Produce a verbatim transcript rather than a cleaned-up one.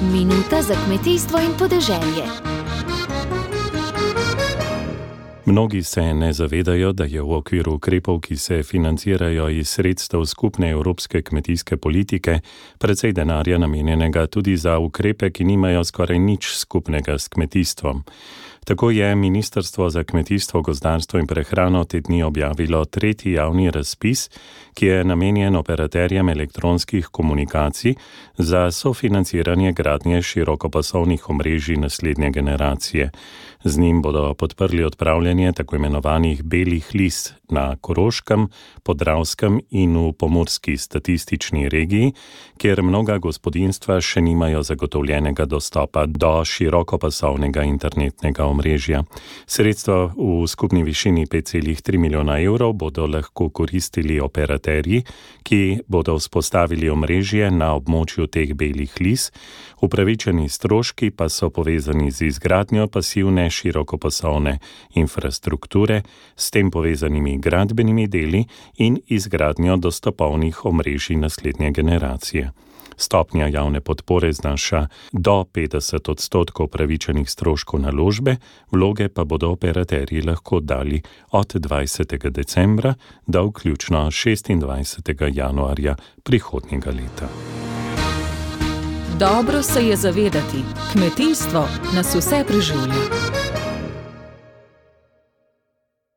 Minuta za kmetijstvo in podeželje. Mnogi se ne zavedajo, da je v okviru ukrepov, ki se financirajo iz sredstev skupne evropske kmetijske politike, precej denarja namenjenega tudi za ukrepe, ki nimajo skoraj nič skupnega s kmetijstvom. Tako je Ministrstvo za kmetijstvo, gozdarstvo in prehrano te dni objavilo tretji javni razpis, ki je namenjen operaterjem elektronskih komunikacij za sofinanciranje gradnje širokopasovnih omrežij naslednje generacije. Z njim bodo podprli odpravljanje tako imenovanih belih lis na Koroškem, Podravskem in v pomurski statistični regiji, kjer mnoga gospodinjstva še nimajo zagotovljenega dostopa do širokopasovnega internetnega omrežja. Sredstva v skupni višini pet celih tri milijona evrov bodo lahko koristili operaterji, ki bodo vzpostavili omrežje na območju teh belih lis. Upravičeni stroški pa so povezani z izgradnjo pasivne širokopasovne infrastrukture, s tem povezanimi gradbenimi deli in izgradnjo dostopovnih omrežij naslednje generacije. Stopnja javne podpore znaša do petdeset odstotkov upravičenih stroškov naložbe, vloge pa bodo operaterji lahko dali od dvajsetega decembra do vključno šestindvajsetega januarja prihodnjega leta. Dobro se je zavedati, kmetijstvo nas vse preživlja.